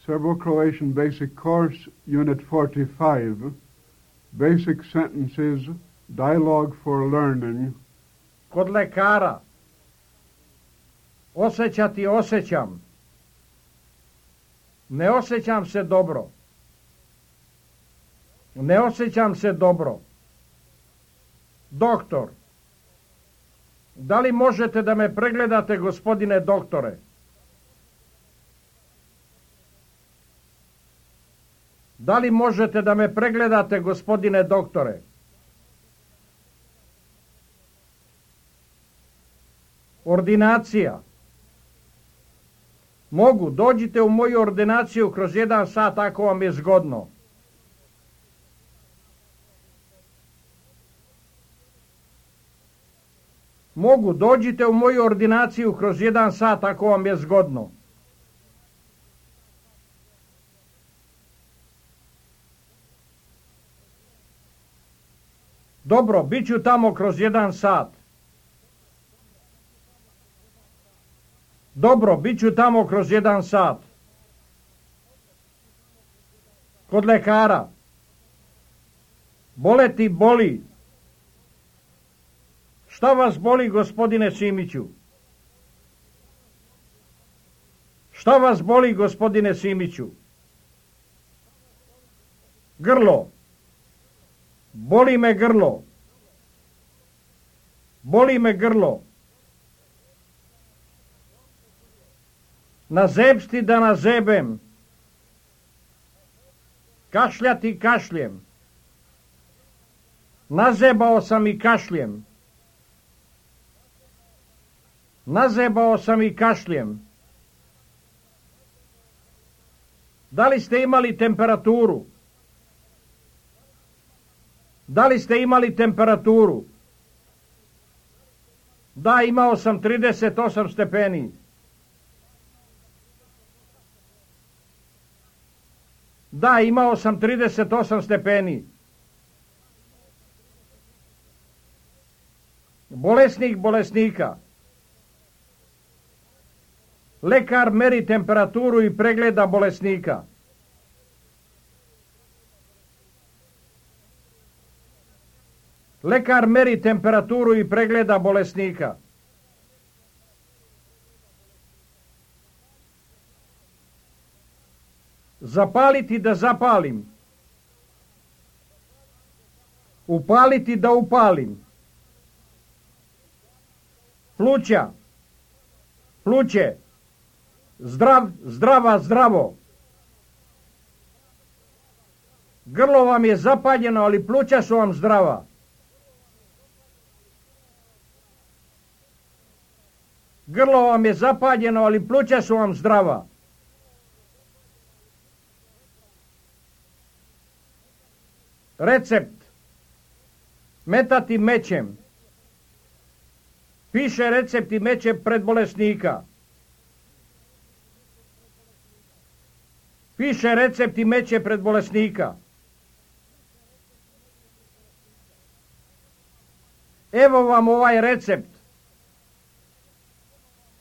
Serbo-Croatian Basic Course, Unit 45, Basic Sentences, Dialogue for Learning. Kod lekara. Osjećati osjećam. Ne osjećam se dobro. Ne osjećam se dobro. Doktor. Da li možete da me pregledate, gospodine doktore? Da li možete da me pregledate, gospodine doktore? Ordinacija. Mogu, dođite u moju ordinaciju kroz 1 sat ako vam je zgodno. Mogu, dođite u moju ordinaciju kroz 1 sat ako vam je zgodno. Dobro, bit ću tamo kroz 1 sat. Dobro, bit ću tamo kroz 1 sat. Kod lekara. Boleti boli. Šta vas boli, gospodine Simiću? Šta vas boli, gospodine Simiću? Grlo. Boli me grlo. Boli me grlo. Nazebsti da nazebem. Kašljati kašljem. Nazebao sam i kašljem. Nazebao sam i kašljem. Da li ste imali temperaturu? Da li ste imali temperaturu? Da, imao sam 38 stepeni. Da, imao sam 38 stepeni. Bolesnik bolesnika. Lekar meri temperaturu i pregleda bolesnika. Lekar meri temperaturu i pregleda bolesnika. Zapaliti da zapalim. Upaliti da upalim. Pluća. Pluće. Zdrav, zdrava, zdravo. Grlo vam je zapaljeno, ali pluća su vam zdrava. Grlo vam je zapaljeno, ali pluća su vam zdrava. Recept. Metati mećem. Piše recept i meće pred bolesnika. Piše recept i meće pred bolesnika. Evo vam ovaj recept.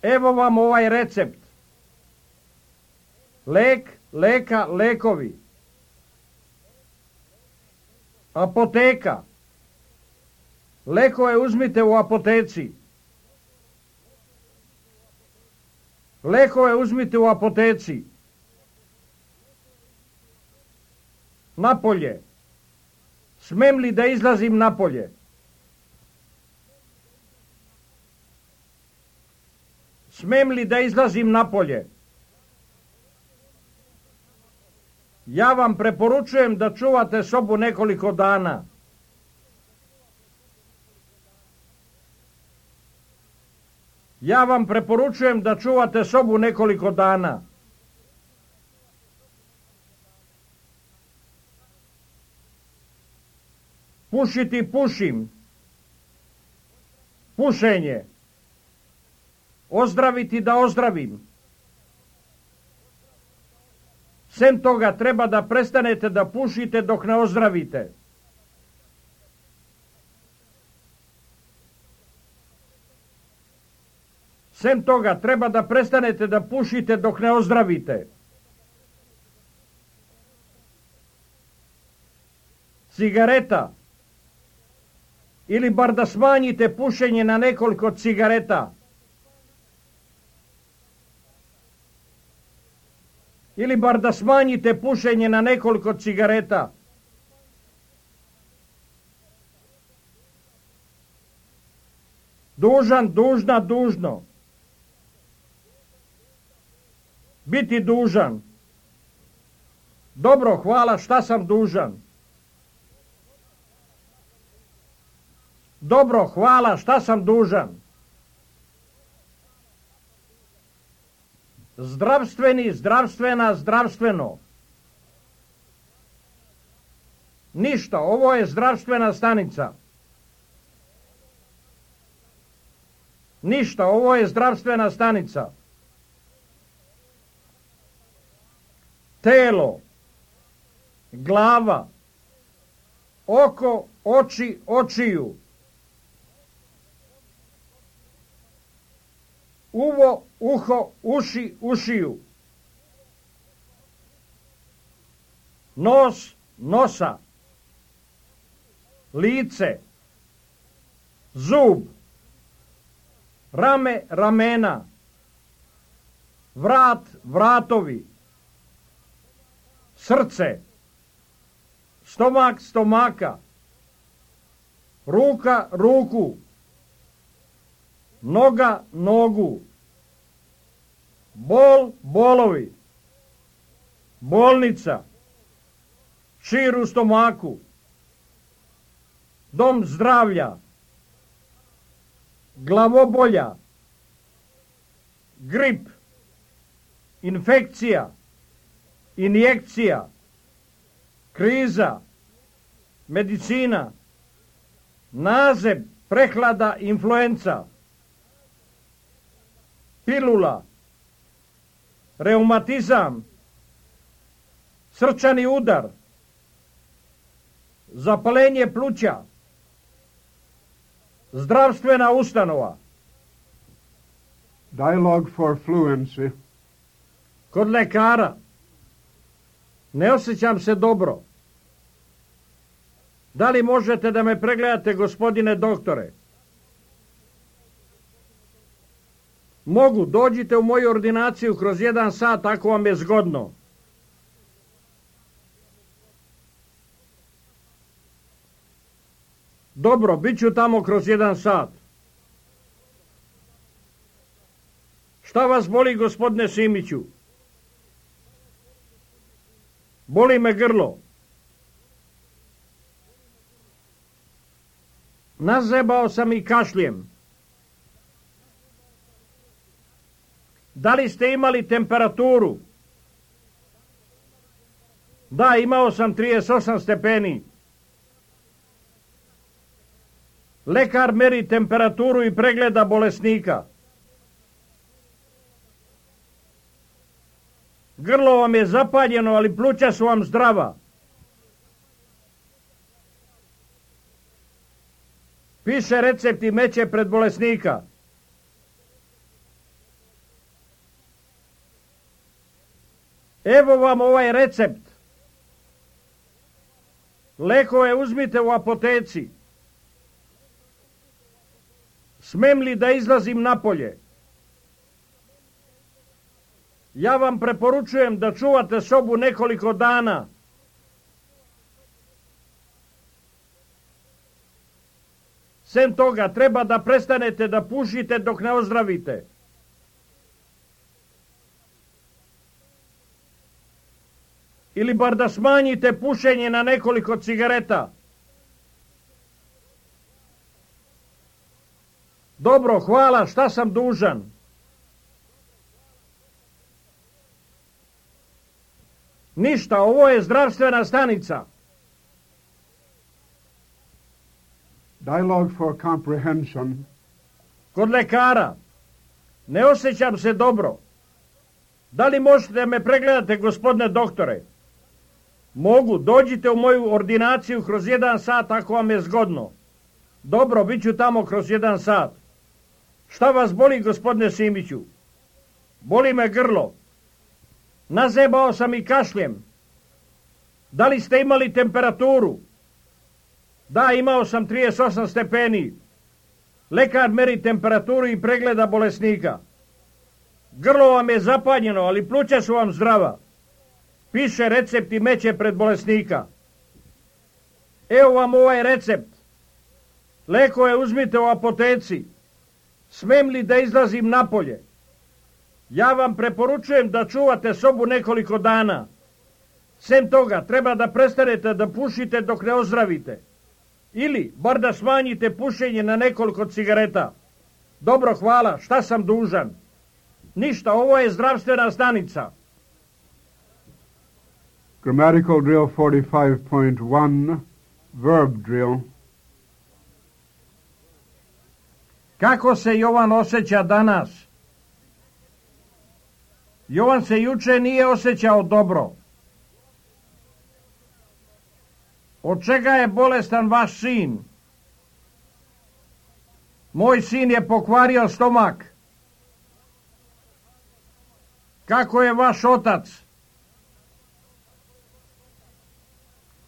Evo vam ovaj recept. Lek, leka, lekovi. Apoteka. Lekove uzmite u apoteci. Lekove uzmite u apoteci. Napolje. Smem li da izlazim napolje? Smem li da izlazim napolje? Ja vam preporučujem da čuvate sobu nekoliko dana. Ja vam preporučujem da čuvate sobu nekoliko dana. Pušiti pušim. Pušenje. Ozdraviti da ozdravim. Sem toga treba da prestanete da pušite dok ne ozdravite. Sem toga treba da prestanete da pušite dok ne ozdravite. cigareta. Ili bar da smanjite pušenje na nekoliko cigareta. Ili bar da smanjite pušenje na nekoliko cigareta. Dužan, dužna, dužno. Biti dužan. Dobro, hvala, šta sam dužan? Dobro, hvala, šta sam dužan? Zdravstveni, zdravstvena, zdravstveno. Ništa, ovo je zdravstvena stanica. Ništa, ovo je zdravstvena stanica. Telo, glava, oko, oči, očiju. Uvo, uho, uši, ušiju. Nos, nosa. Lice. Zub. Rame, ramena. Vrat, vratovi. Srce. Stomak, stomaka. Ruka, ruku. Noga, nogu. Bol, bolovi. Bolnica. Šir u stomaku. Dom zdravlja. Glavobolja. Grip. Infekcija. Injekcija. Kriza. Medicina. Nazeb, prehlada, influenca. Pilula. Reumatizam. Srčani udar. Zapalenje pluća. Zdravstvena ustanova. Dialogue for fluency. Kod lekara. Ne osjećam se dobro. Da li možete da me pregledate, gospodine doktore? Mogu, dođite u moju ordinaciju kroz 1 sat ako vam je zgodno. Dobro, bit ću tamo kroz 1 sat. Šta vas boli, gospodine Simiću? Boli me grlo. Nazebao sam i kašljem. Da li ste imali temperaturu? Da, imao sam 38 stepeni. Lekar meri temperaturu i pregleda bolesnika. Grlo vam je zapaljeno, ali pluća su vam zdrava. Piše recept i meće pred bolesnika. Evo vam ovaj recept. Lekove uzmite u apoteci. Smem li da izlazim napolje? Ja vam preporučujem da čuvate sobu nekoliko dana. Sem toga, treba da prestanete da pušite dok ne ozdravite. Ili bar da smanjite pušenje na nekoliko cigareta. Dobro, hvala, šta sam dužan? Ništa, ovo je zdravstvena stanica. Dialogue for comprehension. Kod lekara. Ne osjećam se dobro. Da li možete me pregledati, gospodine doktore? Mogu, dođite u moju ordinaciju kroz 1 sat ako vam je zgodno. Dobro, bit ću tamo kroz 1 sat. Šta vas boli, gospodine Simiću? Boli me grlo. Nazebao sam i kašljem. Da li ste imali temperaturu? Da, imao sam 38 stepeni. Lekar meri temperaturu i pregleda bolesnika. Grlo vam je zapanjeno, ali pluća su vam zdrava. Piše recept i meće pred bolesnika. Evo vam ovaj recept. Lekove uzmite u apoteci. Smem li da izlazim napolje? Ja vam preporučujem da čuvate sobu nekoliko dana. Sem toga, treba da prestanete da pušite dok ne ozdravite. Ili, bar da smanjite pušenje na nekoliko cigareta. Dobro, hvala, šta sam dužan? Ništa, ovo je zdravstvena stanica. Grammatical drill 45.1, verb drill. Kako se Jovan osjeća danas? Jovan se juče nije osjećao dobro. Od čega je bolestan vaš sin? Moj sin je pokvario stomak. Kako je vaš otac?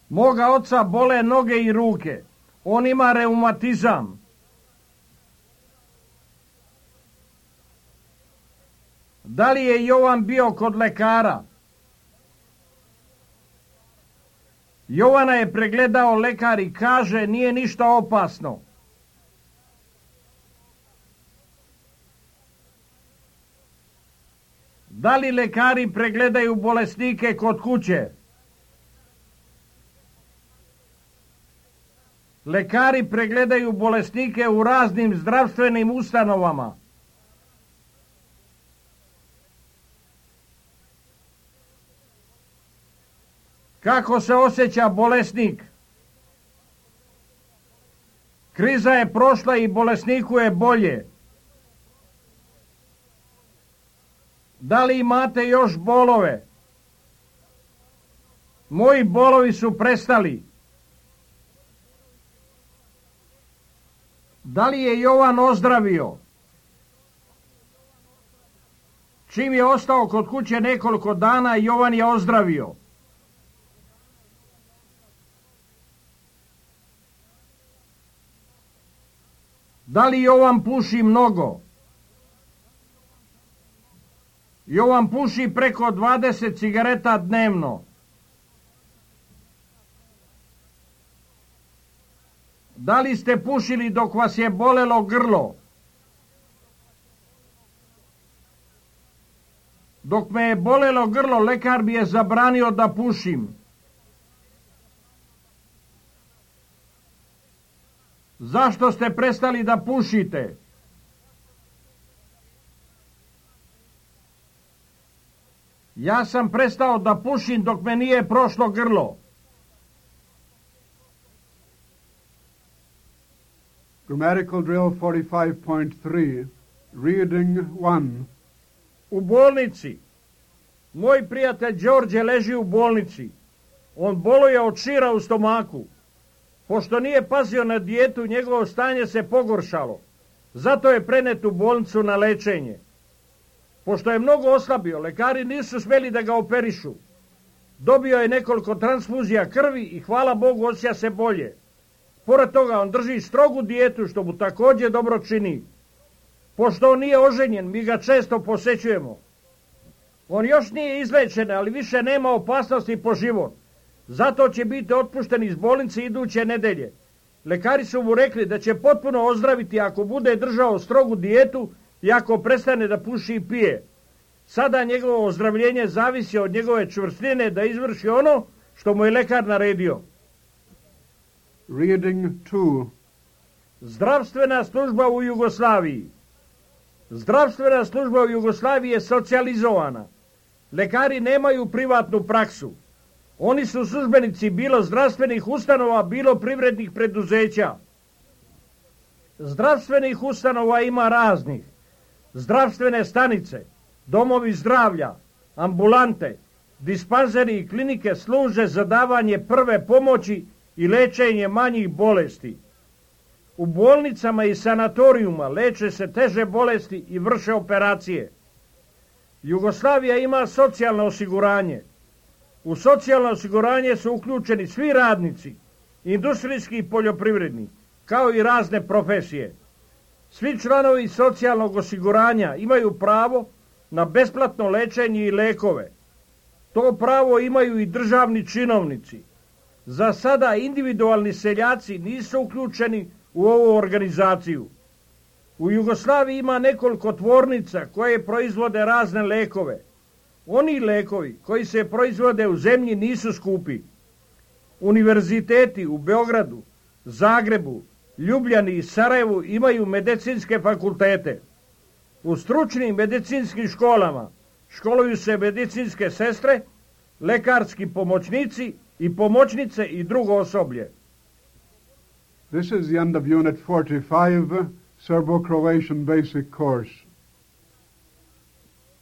Moga oca bole noge i ruke. On ima reumatizam. Da li je Jovan bio kod lekara? Jovana je pregledao lekar i kaže nije ništa opasno. Da li lekari pregledaju bolesnike kod kuće? Lekari pregledaju bolesnike u raznim zdravstvenim ustanovama. Kako se osjeća bolesnik? Kriza je prošla i bolesniku je bolje. Da li imate još bolove? Moji bolovi su prestali. Da li je Jovan ozdravio? Čim je ostao kod kuće nekoliko dana, Jovan je ozdravio. Da li Jovan puši mnogo? Jovan puši preko 20 cigareta dnevno. Da li ste pušili dok vas je bolelo grlo? Dok me je bolelo grlo, lekar mi je zabranio da pušim. Zašto ste prestali da pušite? Ja sam prestao da pušim dok me nije prošlo grlo. Grammatical drill 45.3, reading 1. U bolnici. Moj prijatelj Đorđe leži u bolnici. On boluje od šira u stomaku. Pošto nije pazio na dijetu, njegovo stanje se pogoršalo. Zato je prenet u bolnicu na lečenje. Pošto je mnogo oslabio, lekari nisu smjeli da ga operišu. Dobio je nekoliko transfuzija krvi i hvala Bogu osjeća se bolje. Pored toga on drži strogu dijetu što mu također dobro čini. Pošto on nije oženjen, mi ga često posećujemo. On još nije izlečen, ali više nema opasnosti po život. Zato će biti otpušten iz bolnice iduće nedelje. Lekari su mu rekli da će potpuno ozdraviti ako bude držao strogu dijetu i ako prestane da puši i pije. Sada njegovo ozdravljenje zavisi od njegove čvrstine da izvrši ono što mu je lekar naredio. Reading 2. Zdravstvena služba u Jugoslaviji. Zdravstvena služba u Jugoslaviji je socijalizovana. Lekari nemaju privatnu praksu. Oni su službenici bilo zdravstvenih ustanova, bilo privrednih preduzeća. Zdravstvenih ustanova ima raznih. Zdravstvene stanice, domovi zdravlja, ambulante, dispanzeri i klinike služe za davanje prve pomoći i lečenje manjih bolesti. U bolnicama i sanatorijuma leče se teže bolesti i vrše operacije. Jugoslavija ima socijalno osiguranje. U socijalno osiguranje su uključeni svi radnici, industrijski i poljoprivredni, kao i razne profesije. Svi članovi socijalnog osiguranja imaju pravo na besplatno lečenje i lekove. To pravo imaju i državni činovnici. Za sada individualni seljaci nisu uključeni u ovu organizaciju. U Jugoslaviji ima nekoliko tvornica koje proizvode razne lekove. Oni lekovi koji se proizvode u zemlji nisu skupi. Univerziteti u Beogradu, Zagrebu, Ljubljani i Sarajevu imaju medicinske fakultete. U stručnim medicinskim školama školuju se medicinske sestre, lekarski pomoćnici i pomoćnice i drugo osoblje. This is the end of Unit 45, Serbo-Croatian Basic Course.